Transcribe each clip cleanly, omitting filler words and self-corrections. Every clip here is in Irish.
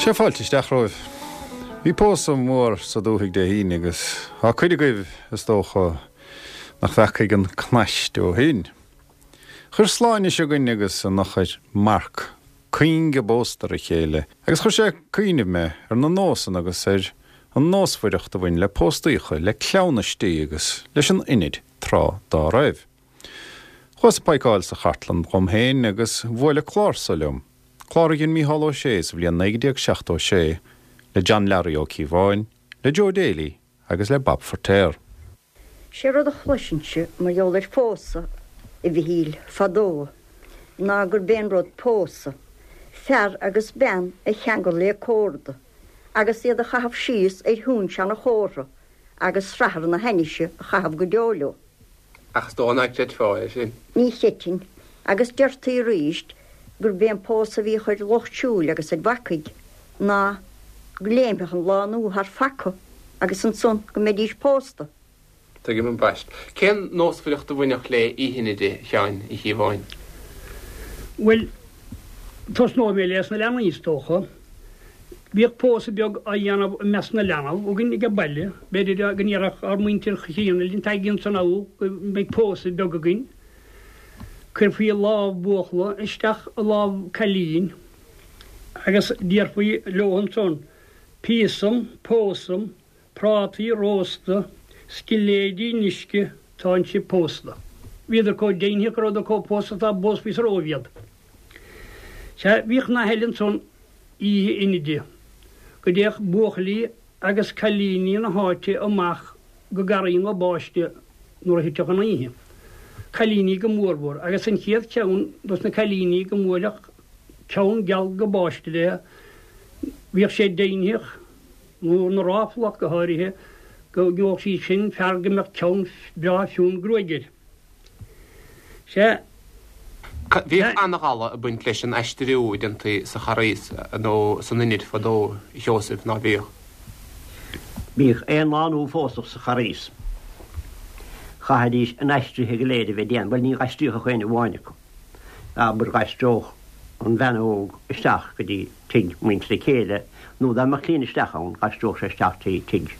Sea, fáilte isteach romhaibh. Bhí pósadh mór sa dúthaigh Dé hAoine agus tá cuid agaibh, is dócha, nach bhfeacaigh an cnaiste ó shin. Chuir Sláine seo againn agus an eochair Mark cuing a bpósta ar a chéile agus chuir sé ag cuimhneamh mé ar na nósanna agus ar an nósmhaireacht a bhain le póstaíocha, le cleamhnaistí agus leis an Inid tráth dá raibh. Chuas ag paidhceáil sa chartlann dhom féin agus bhuaileadh clár so liom, clár a dhein Mícheál Ó Sé sa bhliain 1976 le John Learaí Ó Cíobháin, le Joe Daly agus le Bob Feirtéar. Sé rud a chloisinnse mar gheall ar phósadh, a Mhichíl, fadó, ná gurb é an rud pósadh, fear agus bean a cheangal le córda agus iad a chaitheamh síos ar thóin seana-chófra agus srathar na hainnise a chaitheamh go deo leo. Ach is dóigh ná creidfeá é sin. Ní chreidfinn. Agus deirtí aríst gurb é an pósadh a bhíodh ar lucht siúil agus ar bhacaigh ná go léimfeadh an lá nua thar phaca agus ansan go mbeidís pósta. Tuigim ambaist. Cén nósmhaireacht a bhainfeadh le Oíche Inide, a Sheáin Uí Chíobháin? Bhuel, tosnóidh mé leis na leanaí, is dócha. Bhíodh pósadh beag á dhéanamh i measc na leanbh againn ag baile. B'fhéidir go ndéarfadh ár muintir chríonna linn, Tagaigí ansan abhus go mbeidh pósadh beag againn. Cuirfí lámh buachalla isteach i lámh cailín agus déarfaí leo ansan, Píosam, pósam, prátaí rósta, scilléidí in uisce, tánn sibh pósta. Bhíodar chomh deimhneach go rabhadar chomh pósta dá bpósfaí sa Róimh iad. Sea, bhíodh nath eile ansan oíche Inide, go dtéadh buachaillí agus cailíní na háite amach go Garraí na Báiste nuair a thitfeadh an oíche. Cailíní go mórmhór, agus an chéad cheann dos na cailíní go mbuailfeadh ceann geal go báiste léi, bhíodh sé deimhneach, nó na ráfla go háirithe, go ngeobhadh sí sin fear go mbeadh ceann breá fionn gruaige air. Sea. Bhíodh ana-ghala ag baint leis an aistriú a déantaí sa Charghas nó san Inid fadó, a Sheosaimh, ná bíodh? Bhíodh aon lánúin a phósfadh sa Charghas. Chaithfidís a n-aistrithe go léir a bheith déanta, bhuel ní aistríodh ach aon amháin acu. Abair d'aistreodh an bhean óg isteach go dtí tigh muintir a céile nó dá mbeadh cliain isteach ann d'aistreodh sé isteach trí tigh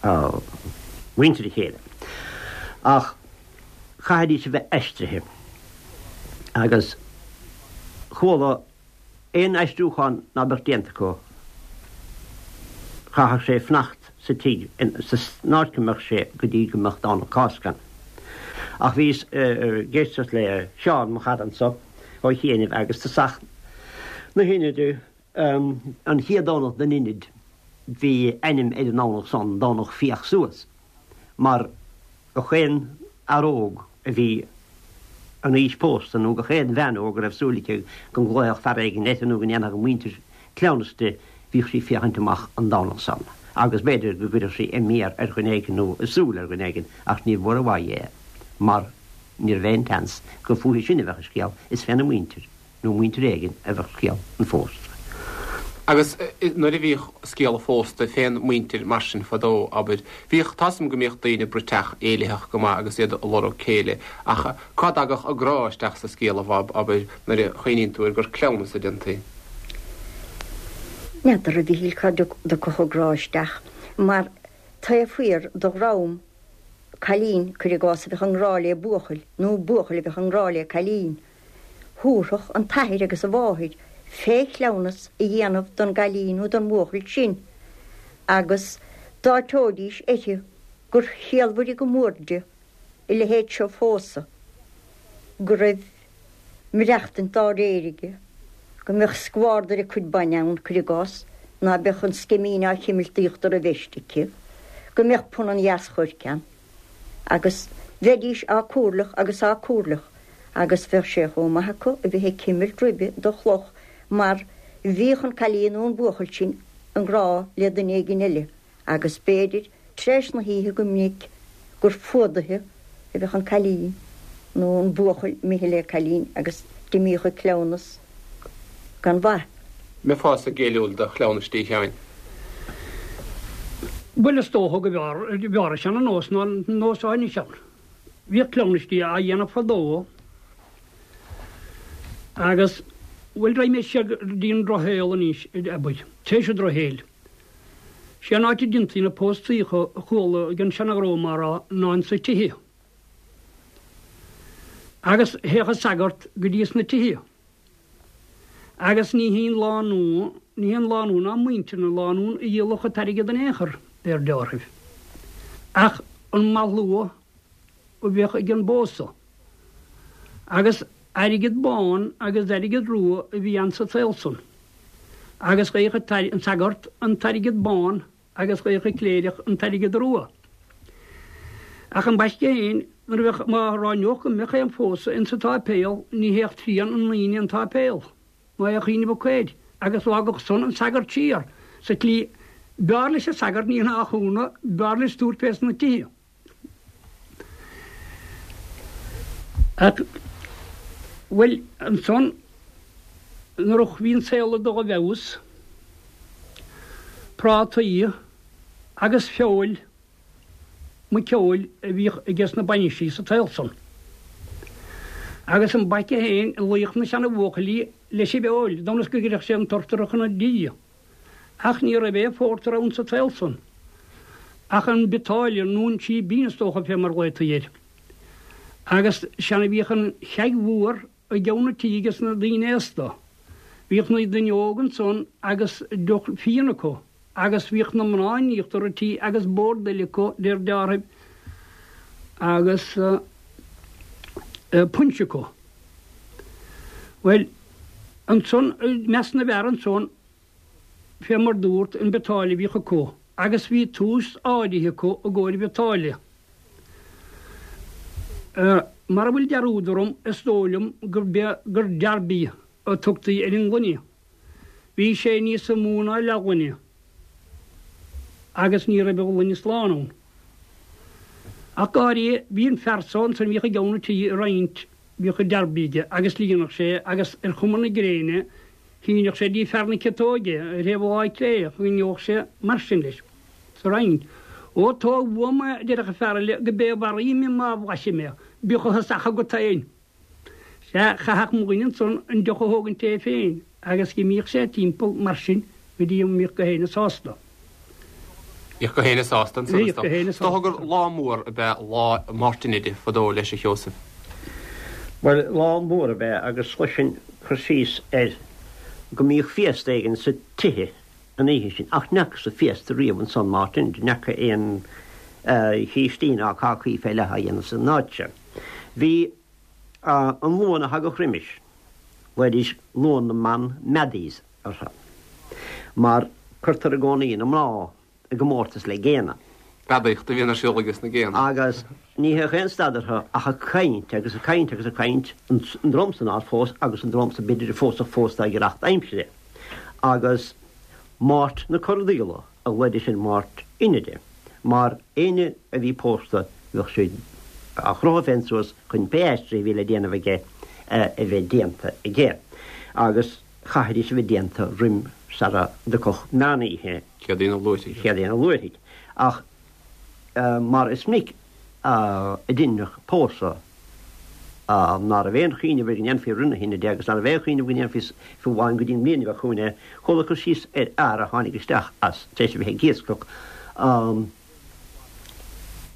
mhuintir a chéile. Ach chaithfidís a bheith aistrithe agus chuala aon aistriúchán ná beadh déanta acu chaithfeadh sé fanacht sa tigh san áit go mbeadh sé go dtí go mbeadh Domhnach Cásca ann. Ach bhíos ag éisteacht le Seán, mo chara anso, ó chianaibh agus tosach na hInide, an chéad Domhnach den Inid, bhí ainm ar an nDomhnach san, Domhnach Féach Suas, mar gach aon fhear óg a bhí in aois pósta nó gach aon bhean óg a raibh súil aici go nglaofadh fear éigin uirthi nó go ndéanfadh a muintir cleamhnas di, bhíodh sí ag féachaint amach an Domhnach san agus b'fhéidir go gcuirfeadh sí a méar ar dhuine éigin nó a súil ar dhuine éigin ach níor mhór uaidh é mar ní raibh aon tseans gur fúithi sin a bheadh an scéal, is féna muintir. nó muintir éigin a bheadh scéal an phósta. Agus nuair a bhíodh scéal an phósta fén muintir mar sin fadó, abair, bhíodh, tá's a'm go mbíodh daoine bruiteach éilitheach go maith agus iad ag lorg céile, ach cá dtagadh an grá isteach sa scéal, a Bhob, abair, nuair a chuimhníonn tú ar gur cleamhnas a déantaí? N'fheadar, a Mhichíl, cá dtiocfadh an grá isteach, mar taobh thiar de dhream cailín, cuir i gcás, a bheadh i ngrá le buachaill, nó buachaill a bheadh i ngrá le cailín, Thabharfadh an t-athair agus an mháthair fé chleamhnas a dhéanamh don gcailín nó don bhuachaill sin agus d'áiteoidís uirthi gur chiallmhaire go mór di a leithéid seo phósadh, go raibh maireachtaint dá réir aige, go mbeadh scmhardar a cuid bainne ann, cuir i gcás, ná beadh an sceimín á chimilt d'íochtar a veist aici, go mbeadh punann dheas choirce ann. Agus bheidís á comhairleach agus á comhairleach agus bheadh sé chomh maith acu a bheith ag cimilt ribe do chloch mar bhíodh an cailín nó an buachaill sin i ngrá le duine éigin eile agus b'fhéidir tréis na hoíche go minic gur fuadaithe a bheadh an cailín nó an buachaill imithe le cailín agus d'imíodh an cleamhnas gan mhaith. Mbeifeása géilliúil do chleamhnaistí, a Sheáin? Bhuel is dócha go mb'fhearr, b'fhearr an seana-nós ná an nós atá anois ann. Bhíodh cleamhnaistí á dhéanamh fadó agus. Bhuel, raghaidh mé siar go dtí an drochshaol anois, abair, tar éis an drochshaoil. Sé an áit a deintaí na póstaíocha a chuala ag an seana-dhream á rá ná insa tithe. Agus théadh an sagart go dtí sna tithe. Agus ní hí an lánúin, ní hí an lánúin ná muintir na lánún a dhíolfadh an t-airgead in aon chor, deir deartháir. Ach an malshlua a bheadh ag an bpósadh. Agus airgead bán agus airgead rua a bhí ann sa tsaol san. Agus gheobhadh an sagart an t-airgead bán agus gheobhadh an cléireach an t-airgead rua. Ach ambaiste féin, nuair a bheadh, má ráineodh go mbeadh aon phósadh ins an tsáipéal, ní théadh trian na ndaoine 'on tsáipéal, ná aon chuimhneamh acu air, agus d'fhágadh san an sagart siar sa tslí b'fhearr leis an sagart, ní nach ionadh, b'fhearr leis tabhairt fés na tithe. Ach, bhuel, ansan, nuair a bhí an saol ag dul i bhfeabhas, prátaí agus feoil, muiceoil a bhíodh ages na bainisí sa tsaol san. Agus an baice féin, luíodh na seana-bhuachaillí leis an bhfeoil, d'fhonn is go gcuirfeadh sé an turtar chun an dí. Ach ní raibh aon phórtar ann sa tsaol san, ach an biotáille, nó an síbín is dócha fé mar ghlaotaí air. Agus sean a bhíodh an cheaig mhór i gceann an tí ages na daoine aosta. Bhíodh na daoine óga ansan agus deoch fíon acu, agus bhíodh na mná in íochtar an tí agus bord eile acu, deir deartháir, agus punch acu. Bhuel, ansan, i measc na bhfear ansan, fé mar dúrt, an biotáille a bhíodh acu, agus bhí tomhas áirithe acu i gcomhair biotáille. Mara bhfuil dearúd orm, is dóigh liom gur derby a tugtaí ar an ngloine. Bhí sé níosa mó ná leathghloine, agus ní raibh a ghloine slán ann. Ach go háirithe, bhí an fear so ansan a bhíodh i gceann an tí ag roinnt, bhíodh an derby aige agus líonadh sé agus ar chuma na gréine shíneodh sé dtí fear na ciotóige ar thaobh a láimhe clé, choinneodh sé mar sin leis sa roinnt. Ó tóg uaim é, a déarfadh an fear eile, go b'é a mharaím mé má bhlaisim é, bíodh a thosach agat féin. Sea, chaithfeadh mo dhuine ansan an deoch a thógaint é féin agus dh'imíodh sé timpeall mar sin go dtí go mbíodh gach éinne sásta. Bhíodh gach éinne sásta ansan, is dócha. Is dócha gur lá mór ab ea lá Mháirt Inide fadó leis, a Sheosaimh. Bhuel, lá mór ab ea agus chloisinn cur síos air go mbíodh féasta éigin sa tithe an oíche sin ach n'fheacas-sa féasta riamh ansan Máirt Inide, n'fheaca aon chístí ná cácaí fé leith á dhéanamh san áit seo. Bhí an Luan a thagadh roimis, ghlaoidís Luan na mBan Maddies orthu, mar cuirtear i gcónaí na mná i gcomórtas le géanna. Beadaíocht a bhíonn ar siúl ages na géanna. Agus ní théadh aon stad orthu ach ag caint agus ag caint agus ag caint, an dream san nár phós agus an dream san b'fhéidir a phósfadh fós dá ghiorracht aimsire. Agus Máirt na Corradíola a ghlaoidís ar Mháirt Inide, mar éinne a bhí pósta bheadh sé á chrochadh féin suas chun pé aistrithe a bhí le déanamh aige a bheith déanta aige. Agus chaithfidís a bheith déanta roim sara dtiocfadh meán oíche. Céadaoin an Luaithrigh. Céadaoin an Luaithrigh. Ach mar is minic a deineadh pósadh ná raibh aon chuimhneamh air go ndéanfaí roimh na hInide agus ná raibh aon chuimhneamh go ndéanfaí fiú amháin go dtí an mbliain a bheadh chugainn é. Chuala cur síos ar fhear a tháinig isteach as tar éis a bheith ag iascach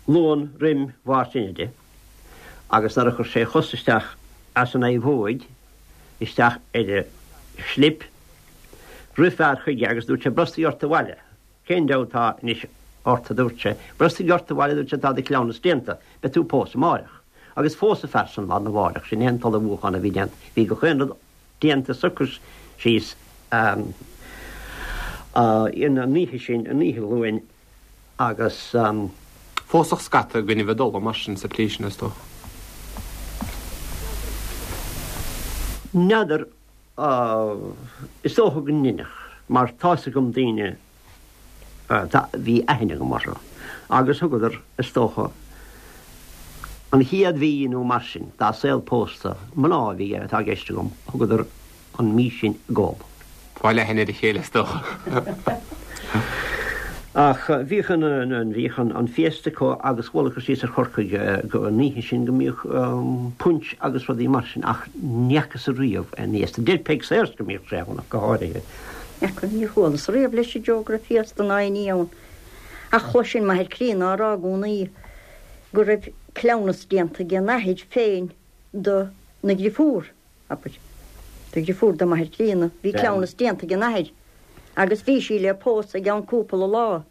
Luan roim Mháirt Inide agus nuair a chuir sé a chos isteach as an naomhóig isteach ar an slip rith fear chuige agus dúirt sé brostaigh ort abhaile. Cén deabhadh atá anois ort, a dúirt sé. Brostaigh ort abhaile, a dúirt sé, tá do chleamhnas déanta. Beidh tú ag pósadh amáireach. Agus phós an fear san lá arna mháireach. Sin é an t-ullmhúchán a bhí déanta. Bhí gach aon rud déanta socraithe síos an oíche sin, an oíche Luain, agus. Phósfadh scata i gcoinnibh a dtola mar sin sa tslí sin, is dócha. N'fheadar. Is dócha go ndeineadh, mar tá's agam daoine a bhí aithne agam orthu, agus thugadar, is dócha, an chéad mhí nó mar sin dá saol pósta, mná a bhí, atá i gceist agam, thugadar an mhí sin ag ól. Fáil aithne ar a chéile, is dócha. Ach bhíodh an, bhíodh an féasta acu agus chuala cur síos ar Chorcaigh go an oíche sin go mbíodh punch agus rudaí mar sin ach ní fhacas-sa riamh aon fhéasta. Deir Peig Sayers go mbíodh sé ann ach go háirithe. N'fheaca, níor chualas-sa riamh leis a Joe go raibh féasta ná aon ní ann. Ach chloisinn m'athair críonna á rá i gcónaí go raibh cleamhnas déanta ag an athair féin do na dhriofúr. Abair. Do dhriofúr do m'athair críonna. Bhí cleamhnas déanta ag an athair agus bhí sí le pósadh i gceann cúpla lá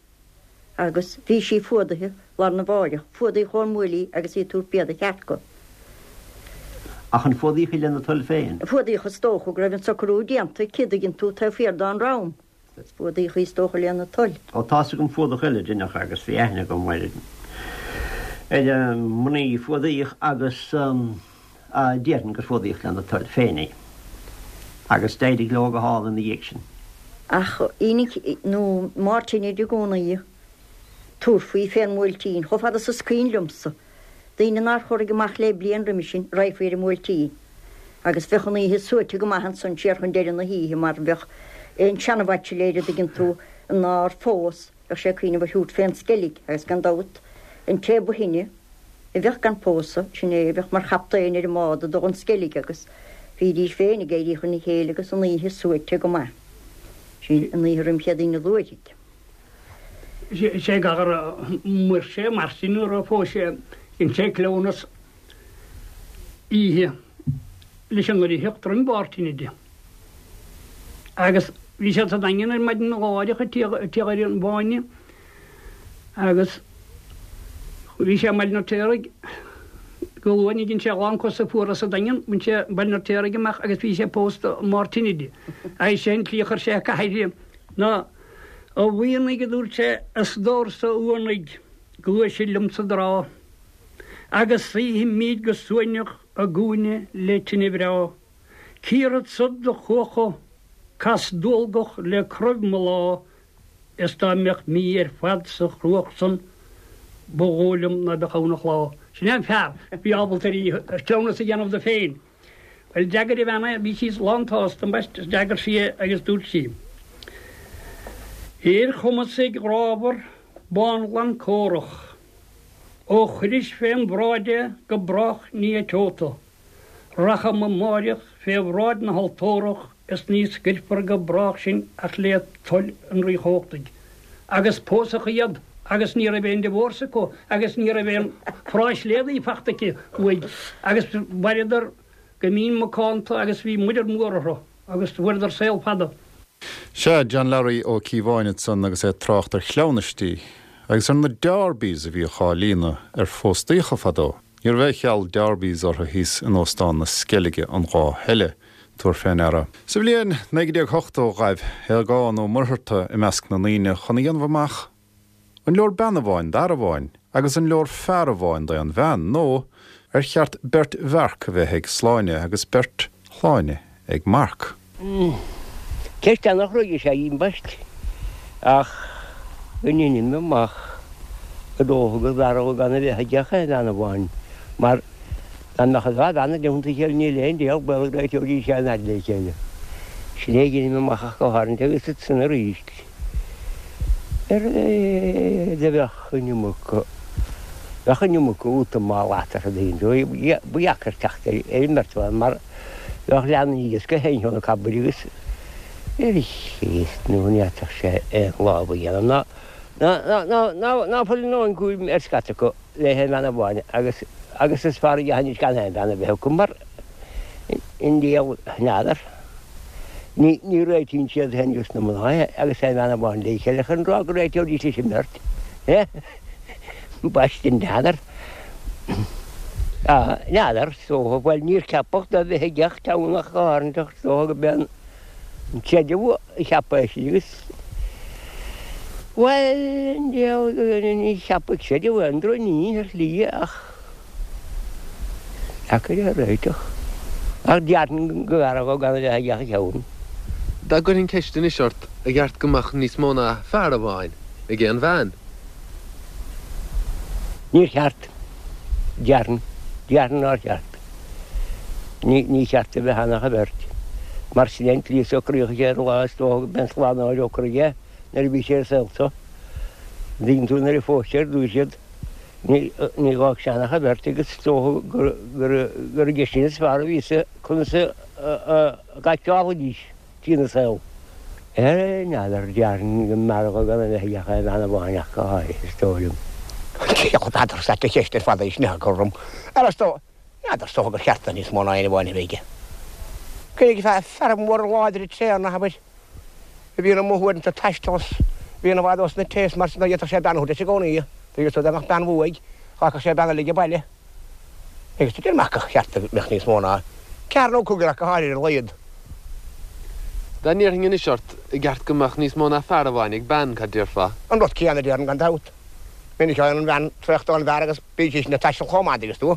agus bhí sí fuadaithe lá arna mháireach. Fuadaíodh ón mbuaile í agus í ag tabhairt bia do chearca. Ach an fuadaíodh í lena toil féin? Fuadaíodh is dócha go raibh an socrú déanta aici, dtuigeann tú, taobh thiar dá ndroim. Agus fuadaíodh í is dócha lena toil. Ó tá's agam fuadach eile a deineadh agus bhí aithne agam ar ar an mnaoi a fuadaíodh agus déarfainn gur fuadaíodh lena toil féin í. Agus d'éirigh leo go hálainn ina dhiaidh sin. Ach Aoine nó Máirt Inide i gcónaí tabharfaí fén mBuailtín, chomh fada is is cuimhin liomsa. Daoine nár chorraigh amach le bliain roimhe sin, raghfaí ar an mBuailtín. Agus bheadh an oíche suaite go maith ansan siar chun deireadh na hoíche mar bheadh aon seanabhaitsiléir, a dtuigeann tú, nár phós, bheadh sé ag cuimhneamh ar thabhairt fén Sceilg agus gan dabht an té ba shine a bheadh gan pósadh, sin é a bheadh mar chaptaen ar an mbád ag dul chun Sceilge agus bhídís féin ag éirí chun a chéile agus an oíche suaite go maith. Sin an oíche roim Chéadaoine an Luaithrigh. Sé gadhar Mhuirse mar sin nuair a phós sé dhein sé cleamhnas oíche leis an ndoircheacht roim Mháirt Inide. Agus bhí siad sa Daingean ar maidin lá áireach ag tíocht ar an bhfáinne agus bhí sé i mBaile an Fheirtéaraigh go luath ní dhein sé a lán cosa fuara sa Daingean, bhain sé Baile an Fheirtéaraigh amach agus bhí sé pósta Máirt Inide. Agus sé an tslí a chuir sé a cathair ná A mhianaigh, a dúirt sé, a stór-sa uanaigh, gluaisid liom sa dtrá, agus suífimíd go suaimhneach i gcúinne le tine bhreá. Cíorfad-sa do chuacha, cas dualgach le croibh mo lá, is dá mbeadh mí ar fad sa chruach san, ba dhóigh liom ná beadh ann ach lá. Sin é an fear a bhí ábalta ar cleamhnas a dhéanamh do féin. Bhuel, d'fhreagair a bhean é, bhí sí lán tsásta, ambaist, d'fhreagair sí é agus dúirt sí, Ar chumasaigh ghrámhar bánghlan córach, ó chuiris fém bhráid é go brách ní eiteodh tú. Racham amáireach fé bhráid na haltórach is ní scoirfear go brách sinn ach le toil an Rí Chumhachtaigh. Agus pósadh iad agus ní raibh aon divorce acu agus ní raibh aon phráisléadaí fachta aici uaidh agus mhaireadar go mín macánta agus bhí muirear mór orthu agus fuaireadar saol fada. Sea, John Larry Ó Cíobháin ansan agus é ag trácht ar chleamhnaistí agus ar na Derbies a bhíodh á líonadh ar phóstaíocha fadó. Ní raibh aon cheal Derbies orthu thíos in Óstán na Sceilge an lá eile. Tabhair fé ndeara. Sa bhliain 1980 ghaibh Aogán Ó Muircheartaigh i measc na ndaoine chun a dhéanamh amach an leor bean amháin d'fhear amháin agus an leor fear amháin d'aon bhean nó ar cheart beirt Mharc a bheith ag Sláine agus beirt Shláine ag Marc. Ceist ana-chruaidh is ea í ambaist ach go ndeinim amach gur dócha gurbh fhearr dhó gan a bheith aige ach aon bhean amháin mar dá mbeadh an dá bhean i dteannta a chéile níl aon diabhal baol go réiteoidís aon fhadhb le chéile. Sin é a dheinim amach ach go háirithe agus ansan arís ar do bheadh an iomarca bheadh an iomarca útamáil eatarthu ba dheacair teacht ar an mbeirt bhan mar Bheadh leanaí aige gach aon cheann acu abair agus ar Chríost nó ní fhéadfadh sé aon lámh a dhéanamh ná ná ná ná fuil a ndóthain cúraim ar scata acu le haon bhean amháin agus agus is fearr a dhéanfaidís gan aon bhean a bheith acu mar i ndiaidh n'fheadar ní ní réitíonn siad féin agus na mná agus aon bhean amháin le chéile chun rá go réiteoidís leis an mbeirt. Ambaiste n'fheadar. N'fheadar, is dócha. Bhuel, níor ceapadh do bheith i gceacht ann ach go háirithe, is dócha go b'é an creideamh a cheap é sin agus, bhuel, ní cheapfadh creideamh aon drochní ar shlí ach deacair é a réiteach. Ach déarfainn go mb'fhearr dhó gan a bheith aige ach ceann. Dá gcuirfinn ceist anois ort, ar cheart go mbeadh níos mó ná fear amháin ag aon bhean? Níor cheart. Déarfainn. Déarfainn nár cheart. Ní, ní cheart a bheith ann ach an bheirt. Mar sin é an tslí a socraíodh sé ar an lá is dócha go b'é an Slánaitheoir a shocraigh é nuair a bhí sé ar an saol seo. An dtuigeann tú nuair a phós sé ar dtús iad, ní dh'fhág sé ach an bheirt agus is dócha gur aige sin is fearr a bhí a fhios conas a gcaiteálaidís trína saol. N'fheadar, déarfainn go mb'fhearr dhó gan a bheith aige ach aon bhean amháin ach go háirithe, is dóigh liom. N'fheadar, is ait an cheist ar fad é sin a chur orm. Ar is dóigh, n'fheadar, is dócha gur cheart do níos mó ná aon amháin a bheith aige. Cuirfidh fear mór láidir tréan, abair. a bhíonn amuigh uaireanta ag taisteal is bhíonn i bhfad ós na tithe is mar sin dá bhféadfadh sé bean a thabhairt leis i gcónaí. Dá dá mbeadh bean uaidh, dh'fhágfadh sé bean eile age baile. Agus deir mé gur cheart go mbeadh níos mó ná ceathrar nó cúigear ach go háirithe ar a laghad. Dá n-iarrfainn anois ort, an gceart go mbeadh níos mó ná fear amháin ag bean, cad déarfá? An rud céanna a déarfainn gan dabht. Minic a fhaigheann an bhean traochta ón bhfear agus bíonn sí sin ag taisteal chomh maith, an dtuigeann tú.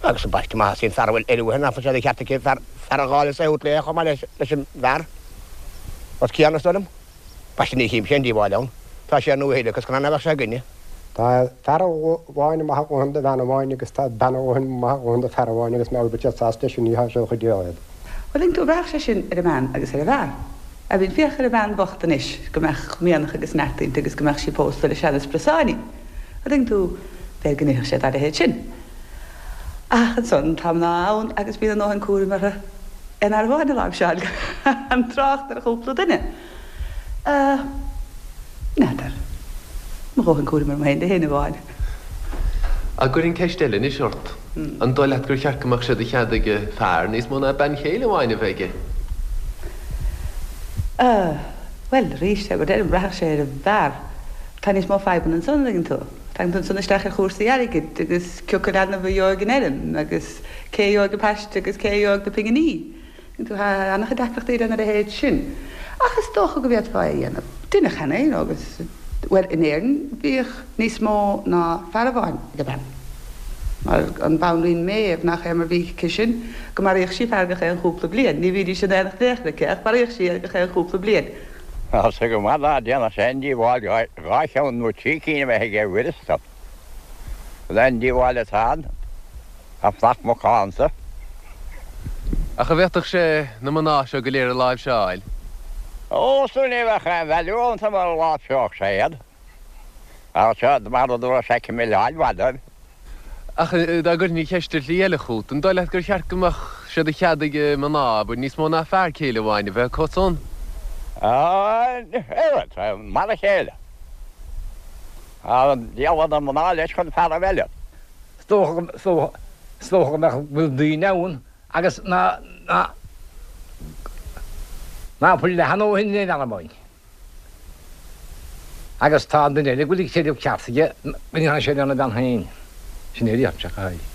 Agus ambaiste má theastaíonn fear a bhfuil eile uaithi, nach bhfuil sé de cheart aici fear a dh'fháil is é a thabhairt léi chomh maith leis an bhfear. Rud céanna, is dóigh liom. Ambaiste ní chímse aon díobháil ann. Tá sé ar ndóigh uile agus conas nach mbeadh sé againne. Tá fear amháin maith a dhóthain do bhean amháin agus tá bean amháin maith a dhóthain do fear amháin agus má bhfuil siad sásta leis sin ní tá sé chuid de iad. Bhuel, tuigeann tú, bhraithfeadh sé sin ar an mbean agus ar an bhfear. I mean, féach ar an bhean bhocht anois, go mbeadh mianach agus neart inti agus go mbeadh sí pósta le seana spriosáinín. An dtuigeann tú, b'fhéidir go ndéarfadh sé dá leithéid sin. Ach ansan, tá mná ann agus bíonn a ndóthain cúraim orthu aon fhear amháin a láimhseáil, gan trácht ar chúpla duine. N'fheadar. Mo dhóthain cúraim orm féin le haon amháin. Ach cuirfinn ceist eile anois ort. An dóigh leat gur cheart go mbeadh sé de chead ag fear níos mó ná bean chéile amháin a bheith aige? Bhuel, arís, mar a deirim, bhraithfeadh sé ar an bhfear. Tá níos mó fadhbanna ansan, an dtuigeann tú. Tagann tú ansan isteach ar chúrsaí airgid agus cioca leanbh a gheobhaidh an fheirm agus cé a gheobhaidh an paiste agus cé a gheobhaidh na pinginí. Tuigeann tú, tá an-chuid deacrachtaí lena leithéid sin. Ach is dócha go bhféadfá é a dhéanamh. Deineadh cheana é, you know, agus, bhuel, in Éirinn bhíodh níos mó ná fear amháin ag bean. Mar an Bhanríon Méabh, nach é mar bhí aici sin, go maraíodh sí fear gach aon chúpla bliain. Ní bhídís in aonacht in aon chor aici, ach mharaíodh sí é gach aon chúpla bliain. Tá sé go maith ná déanfadh sé aon díobháil dhá cheann nó trí cinn a bheith aige uireasa. An aon díobháil atá ann? Tá flac macánta. Ach an bhféadfadh sé na mná seo go léir a láimhseáil? Ó, sea, ní bheadh aon value iontu mura láimhseodh sé iad. Ach seo mar a dúradh sé milleáil mhaith dóibh. Ach dá gcuirfinn an cheist ar shlí eile chugat, an dóigh leat gur cheart go mbeadh sé de chead ag mná, abair, níos mó ná fear céile amháin a bheith acu san? Á, mar a chéile. Tá an diabhal na mná leis chun fear a mhilleadh. Is dócha go, is dócha go mbeadh, go bhfuil daoine ann agus ná, ná, ná fuil leath a ndóthain in aon bhean amháin. Agus tá an duine eile go bhfuil an creideamh ceart aige go ndéanfaidh sé lena bhean féin. Sin é a déarfainnse ach go háirithe.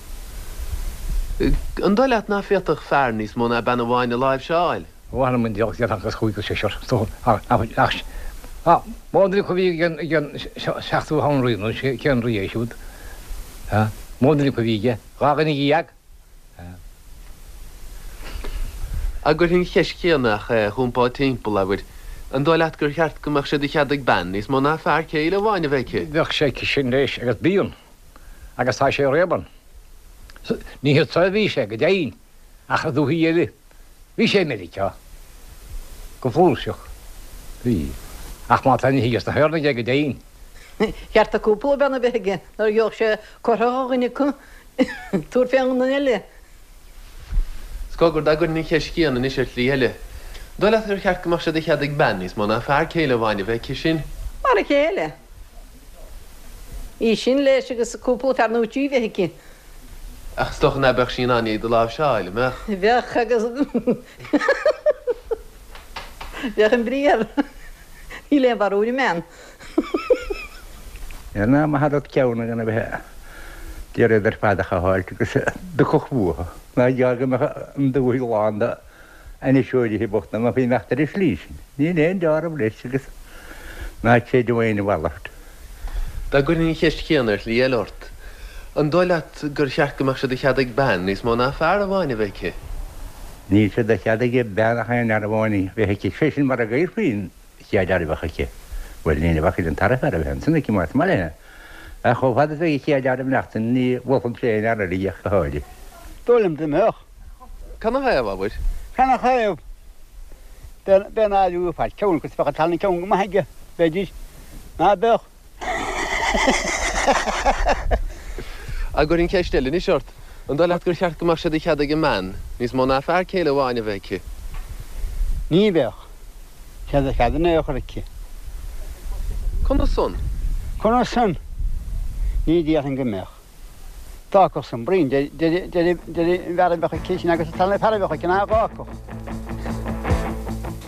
An dóigh leat ná féadfadh fear níos mó ná bean amháin a láimhseáil? Ó th'anam 'on diabhal déarfadh agus chúigear seisear is dócha ach ach mó duine acu a bhí ag an ag an seachtú han-rí nó cén rí é siúd mó duine acu a bhí aige dhá dhuine dhéag. Ach cuirfinn an cheist chéanna ach é a chumpáil timpeall, abair, an dóigh leat gur cheart go mbeadh sé de chead ag bean níos mó ná fear céile amháin a bheith aici? Bheadh sé aici sin leis agus bíonn agus tá sé riamh ann. Ní hiad so a bhí sé go deimhin ach i dúthaí eile. Bhí sé i Meiriceá. Go flúirseach. Bhí. Ach má tá ní thig as na hÉireannaigh é go deimhin. Cheart do cúpla bean a bheith aige nuair a gheobhadh sé cortha ó dhuine acu tabhairt fén nduine eile. 'S cogar, dá gcuirfinn an cheist chéanna anois ar shlí eile, an dóigh leat gur cheart go mbeadh sé de chead ag bean níos mó ná fear céile amháin a bheith aici sin? Mar a chéile. Í sin leis agus cúpla fear nó trí bheith aici. Ach is dócha ná beadh sí in ann iad a láimhseáil, an mbeadh? Bheadh agus bheadh an briathar. Níl aon bharúil i mbean. Ar ná maith an rud ceann gan a bheith d'iarraidh iad ar fad a chothabháilt agus dtiocfadh uathu. Ná gearr go mbeadh an dúthaigh lán de ainniseoirithe bochta amach imeacht ar an slí sin. Níl aon deáramh leis agus ná creidim aon mhalairt. Dá gcuirfinn an cheist chéanna ar shlí eile ort, an dóigh leat gur cheart go mbeadh sé de chead ag bean níos mó ná fear amháin a bheith aici? Níl sé de chead ag bean ach aon fhear amháin a bheith aici, sé sin mura gcuirfí an chéad fhear a bheadh aici. Bhuel, ní bheadh an tara fear a bheith ansan aici más maith léi. Ach chomh fada is a bheidh an chéad fhear ag maireachtaint ní mholfainnse aon fhear eile di ach go háirithe. Dóigh liom dá mbeadh. Canathaobh, abair? Canathaobh? B'é an áireamh fear ceann agus bheadh an tarna ceann go maith aige, b'fhéidir. Ná beadh? An gcuirfinn ceist eile anois ort? An dóigh leat gur cheart go mbeadh sé de chead ag an mbean níos mó ná fear céile amháin a bheith aici? Ní bheadh sé de chead in aon chor aici. Conas san? Conas san? Ní déarfainn go mbeadh. D'fhágfadh san bruíon idir an bhfear a bheadh aici sin agus an tarna fear a bheadh aici ná dh'fhágfadh.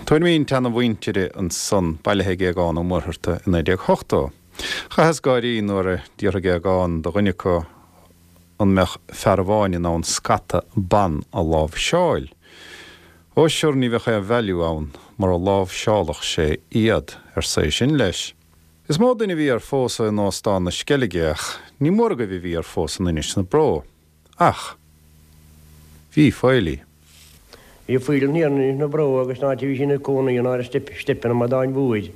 Tuairimí an tseana-mhuintire ansan, bailithe ag Aogán Ó Muircheartaigh i 1980. Chaitheas gáirí nuair a d'fhiafraigh Aogán de dhuine acu an mbeadh fear amháin in ann scata ban a láimhseáil. Ó sure ní bheadh aon value ann mura láimhseálfadh sé iad, arsa é sin leis. Is mó duine a bhí ar phósadh in Óstán na Sceilge ach ní mór agaibh a bhí ar phósadh in Inis na Bró. Ach bhí Faoilí. Bhí Faoilí thiar in Inis na Bró agus an áit a bhí sí ina cónaí in áir Steipeanna Amadáin Mhóir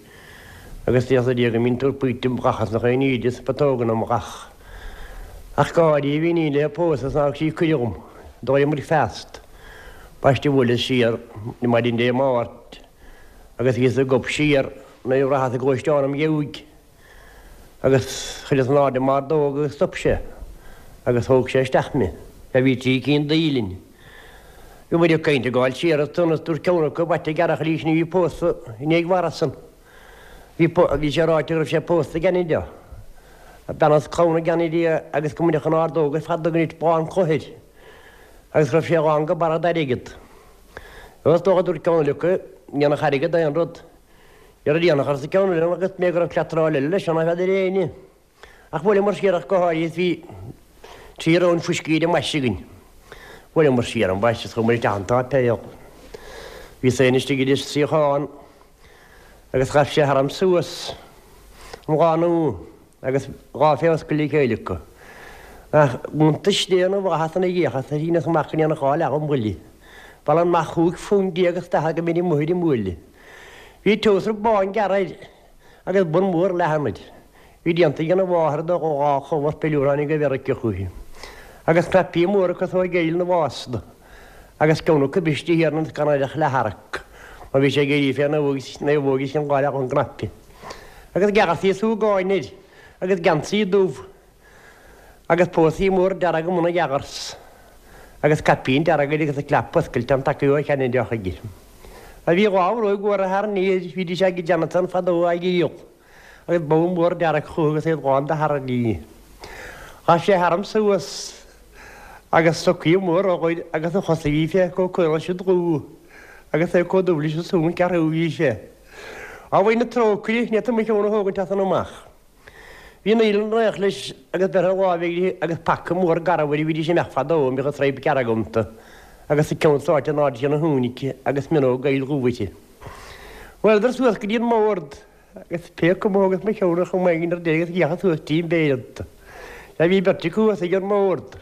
agus d'fhéadfadh Dia go mbíonn tú ag píopa gach as nach aon íde is putóganna mo ghach. Ach gáirí a bhí iníon léi a pósadh is nár thug sí cuireadh dhom. D'éirigh bricfeast. Ambaiste bhuaileas siar maidin Dé Máirt agus bhíos ag gob siar nuair a bhraitheas an gluaisteán im dheabhaidh agus chuireas in airde m'ordóg agus stop sé agus thóg sé isteach mé. Sea bhí trí cinn d'fhaoilinn. Bhí muid ag caint ag gabháil siar ansan is dúirt ceann acu b'ait an gearrthach arís ní bhí pósadh i ndiaidh mharasan. Bhí bhí sé ráite go raibh sé pósta i gCeanada. Bean as clann i gCeanada agus go mbaineadh an ordóg ar fad de go nit bán cloiche air agus go raibh sé lán go barra d'airgead. Is dócha dúirt ceann eile acu, ní dhéanfadh airgead aon rud. Dhera dhéanfadh arsa ceann eile agus mé go raibh cleatráil eile leis ná n'fheadar éinne. Ach bhuaileamar siar ach go háirithe is bhí trí roinn fuiscí ar an mbaiste againn. Bhuaileamar siar ambaiste is chuamar isteach an tsáipéal. Bhíos féin istigh idir suíochán agus ghabh sé tharam suas an lánúin agus dhá phléascadh le chéile acu. Ach iontais Dé na bhflaitheas ina dhiaidh is shíneas amach go ndéanfadh dhá leath dhom bhuille. Bhail an mac chúig phunt déag is daichead go mbínn amuigh ar an mbuaile. Bhí treabhsar bán gearr air agus bun mór leathan air. Bhí déanta ag an mháthair do dhá chumha piliúr tháinig ó Mheiriceá chúithi. Agus cnaipí móra cosúil le geill na bhfásta. Agus ceann acu briste thiar ionas gan air ach leath-tharrac. Mar bhí sé ag éirí fé naomhóg is an dhá leath ón gcnaipe. Agus geansaí súgáin air agus geansaí dubh agus pósaí mór dearg i mbun a gheansaí agus caipín dearg air agus a clap oscailte an taca ó Cheanada chuige. A bhí dhá bhróig mhóra thar an aer, bhídís ag Jonathan fadó á dhíol agus bogha mór dearg chucu agus iad lán de thairní. Ghabh sé tharam suas agus stocaí móra air agus a chosa bhí sé chomh caol leis an dlúth agus é chomh dubh leis an suan ceathrú bhí sé. Á mhuin na trócaire, ní fhéadfainn mo cheann a thógaint as san amach. Bhí an fhaoileann réidh leis agus beirthe láimhe aige agus paca mór garbh air a bhídís ag imeacht fadó a mbíodh an straidhp dearg iontu agus a ceann sáite in airde ina thúinic agus mionóg aoil dhubh uirthi. Bhuaileadar suas go dtí an mbord agus pé cuma a thógas mo cheann ar chuma éigin ar deireadh agus d'fhéachas suas trín bpéire iontu. Sea bhí beirt acu thuas ag an mbord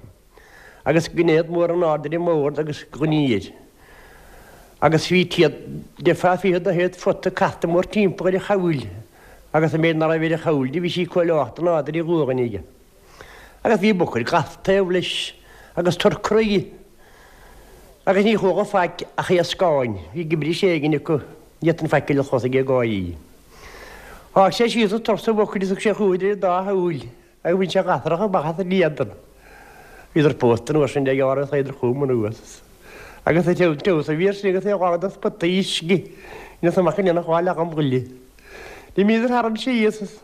agus ginéad mór in airde ar an mbord agus gloiní air. Agus bhí téad deifeá fichead de théad phota casta mórthimpeall ar a chabhail agus an méid ná raibh ar a chabhail de bhí sí chomh leocht in airde ar a ghualainn aige. Agus bhí bucair glas taobh leis agus turcraí agus ní chualadh faic ach iascáin. Bhí gibris éigin acu, ní fhéadfainn faic eile a chlos ag gáirí. Sháigh sé síos an turas a bhucair is thug sé chucu idir an dá shúil agus bhain sé gasrach amach as an éadan. Bhíodar pósta an uair sin de ghearr agus théadar chugam anuas. Agus an treabhsar a bhí air sin agus é lán de spotaí uisce, dheineas amach go ndéanfadh dhá leath dhom ghoile. D'imíodar tharam síos is.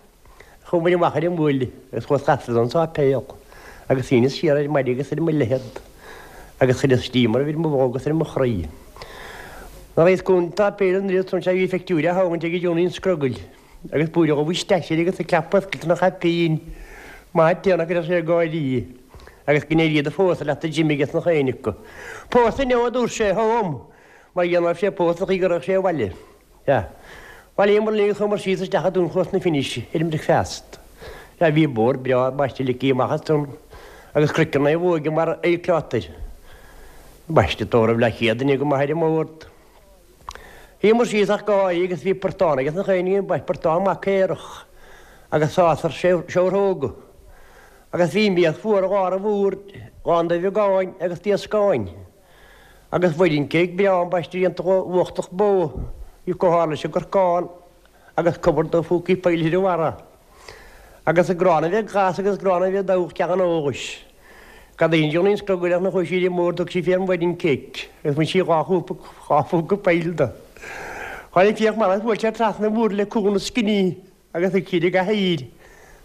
Chuamair amach ar an mbuaile agus chuas trasna don sáipéal agus shíneas siar ar maide agus ar mo leithead agus chuireas díomar ar mo bholg agus ar mo chroí. Nuair a bhíos go an tsáipéal an oiread san sea bhí phictiúir á thógaint ag Johnny an Scrogaill agus buaileadh dhubh isteach air agus a clap oscailte ina chaipín. Maith an t-éan go raibh sé ag gáirí agus go n-éirí do phósadh leat a Jim aige sna chaon acu. Pósadh inniu a dúirt sé, chugam, mar gheall ná raibh sé pósta an chaoi go raghadh sé abhaile. Sea. Bhailíomar linn agus chuamar síos isteach i dTunchlós na Finis ar an mbricfeast. Sea, bhí bord breá ambaiste ligthe amach ansan agus craiceann naomhóige mar aolchloch air. Ambaiste tórramh leathchéad duine go maith ar an mbord. Shuíomar síos ach go háirithe agus bhí portán aige sna chaon ní, portán maith caorach agus sásar seabhróga. Agus bhí mias mhór i lár an bhoird, lán de bheagáin agus d'iascáin. Agus wedding cake breá ambaiste déanta de uchtach bó, bhí chomh hard leis an gcorcán agus cupboard de phúcaí poill ar a bharra. Agus gránna a bheith glas agus gránna a bheith dubhach ceann an eolais. Cad é an Johnny Scrogaill ach nach bhfuil sí mór thug sí fé an wedding cake agus bhain sí 2 chúp 2 phúca poill de. Tháinig Fiach Mara is bhuail sé trasna an bhoird le cúl na scinní agus thug siad i gcathaoir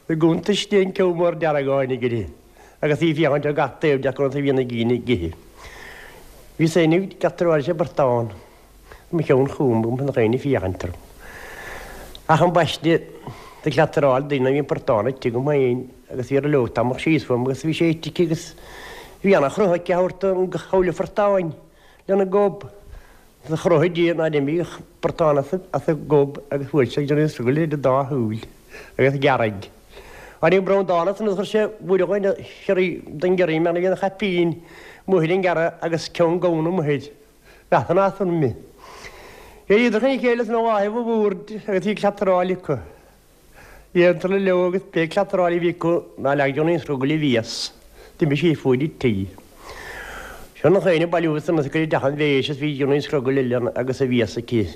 i gcuntais di an ceann mór dearg a tháinig uirthi agus í ag féachaint ar gach taobh de conas a bhí na gcinn ag ithe. Bhíos féin ag cleachtaráil leis an bportán. Mo cheann chugam agam chun dhaoine féachaint orm. Ach ambaiste do cleataráil daoine bhí an portán ite agam féin agus bhí ar leog tamall síos uaim agus bhí sé ite aici agus bhí ana chruth aici a thabhairt don chabhail phortáin lena gob. Do chruthaigh Dia nár imigh an portán as a gob agus bhuail sé Johnny Scrogaill idir dá shúil agus ghearraigh. Tháinig Breandán as an chuir sé buaireamh ina chiorraí don gciorraí mar a bhí ina chaipín amuigh ar an ngearradh agus ceann gamhna amuigh air. Leathan as an mbi. D'éiríodar chun a chéile san láthair an bhoird agus bhí cleataráil acu. Dhéantar leo agus pé cleataráil a bhí acu ná leag Johnny Scrogaill a mhias. D'imigh sí fuaid an tí. Seo na chaoine bailiú san is ag cur i dteach an bhéis is bhí Johnny Scrogaill eile agus a mhias aici.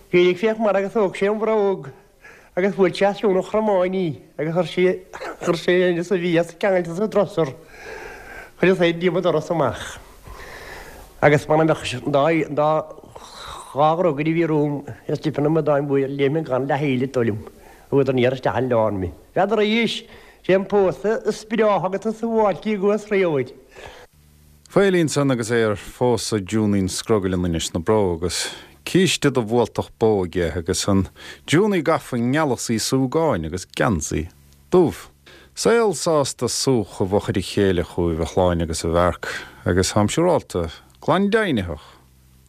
D'éirigh Fiachmara agus thóg sé an bhróg. Agus bhuail sé as cionn an chromáin í agus chuir sí, chuir sé aníos a mhias ceangailte sa drosar. Chuir sé díom an doras amach. Agus mura mbeadh an dá, an dá, dhá dhrugaire a bhí romham is difear na madáin bhuail léim gan leath-shuíl ag dul liom. Chuadar aniar isteach an oileán mé. N'fheadar arís, sé an pósadh is breátha agus is suáilcí a gcuas riamh air. Faolí ansan agus é ar phósadh Junín Scrogaill in Inis na Bró agus císte de bhualtach bó aige agus an Junie gafa i ngealasaí súgáin agus geansaí dubh. Saol sásta súch i bhfochair a chéile chugaibh a Shláine agus a Mharc agus táim siúrálta, glan deimhnitheach,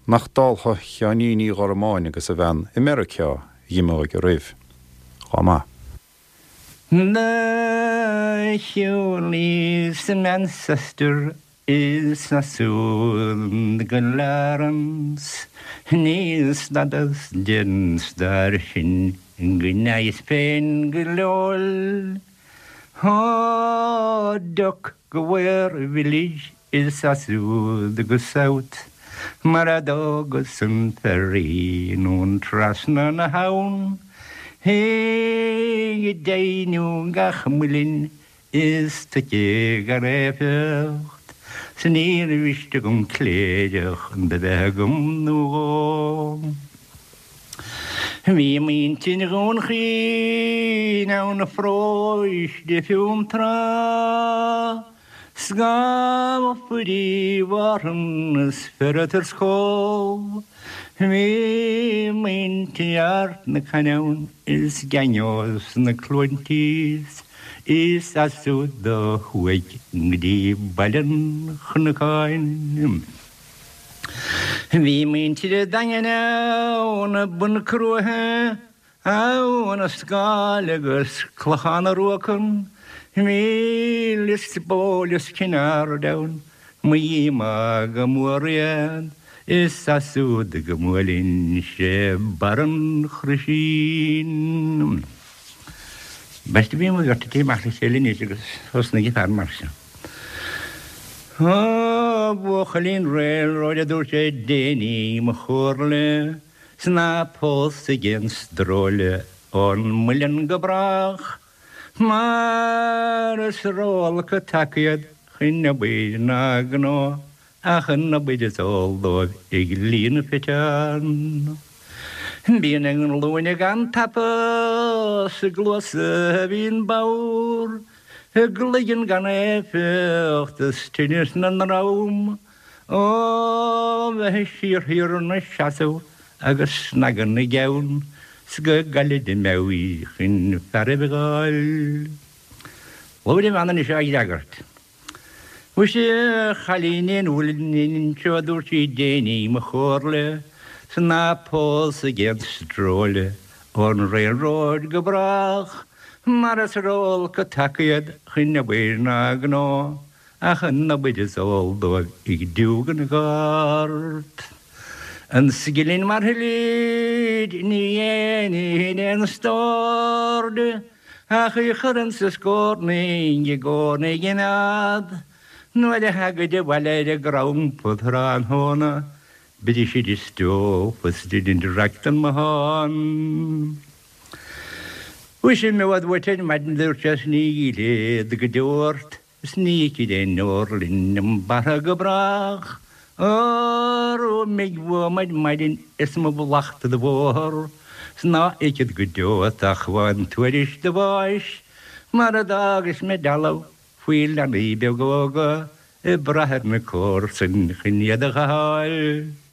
nach dáltha Sheáinín Uí Ghormáin agus a bhean i Meiriceá a dh'imeoidh oraibh. Chomh maith. Do shiúlaíos i Manchester is ansiúd go Lawrence Ní stadas den stair sin go ndeaghas féin go leol Ó Dock go Ware Village is ansiúd go South Mar a d'fhágas an ferry anonn trasna na habhann Ag deimhniú gach muilinn is toice gan éifeacht 'S níor mhiste dhom cléireach do bheith agam nó dhó. Bhí muintir Dhún Chaoin ann a pharóiste Fionntrá 'S gabhadh Fuirí Mhárthain is Ferriter 's Cóbh. Bhí muintir Ard na Cainne ann is Geangeos na Cluainte is as siúd ó thuaidh go dtí Baile an Chnocáin. Bhí muintir an Daingin ann i Bun Crutha, Abha na Scáil agus Clochán na Ruacan, bhí Lios Póil is Cinn Aird ann, mo dhíomá go mór iad, is as siúd go mbuailinnse Barr an Chroisín. Beirt a bhí mo bheirt ag amach le chéile anois agus thosnaigh an fear mar seo. Ó, a bhuachaillín railroad, a dúirt sé, déan í mo chomhairle 's ná pósaigh aon stróile ón muileann go brách, mar is ró-olc an taca iad chun obair ná gnó ach an obair is eol dóibh ag líonadh fiteán. Bíonn a nglúine gan tapa 's a gcluasa a bhíonn bodhar, A gcloigeann gan éifeacht is tinneas 'na ndroim ó bheith siar thiar 'na seasamh agus snagadh na gceann 's go gcaillid a meabhair chun fearaibh a dh'fháil. Labhair an bhean anois á fhreagairt. Mhuise, a chailín an mhuilinn anseo, a dúirt sí, déan í mo chomhairle 's ná pósaigh aon stróile ón railroad go brách mar is ró-olc an taca iad chun obair ná gnó ach an obair is eol dóibh ag diúgadh na gcárt. An scilling mar thuillid ní dhéanfainn aon stór de. Ach í chur insa scornaigh i gcónaí a gcimeád, Nuair a thagaid abhaile ar an gcrampa tráthnóna, Brisid a stól is deinead raic den mbothán. Mhuise imeod uait ar maidin a dúirt sé is ní fhillfead go deo ort is ní fheicfead aon deor linn i mbarra go brách. Órú imigh uaim ar maidin is mo mhallacht do bhóthar 's ná fheicfead go deo ort ach amháin tuairisc do bháis mar a d'fhágais mé dealbh faoi leanaí beaga óga ag brath ar na comharsain chun iad a ghabháil.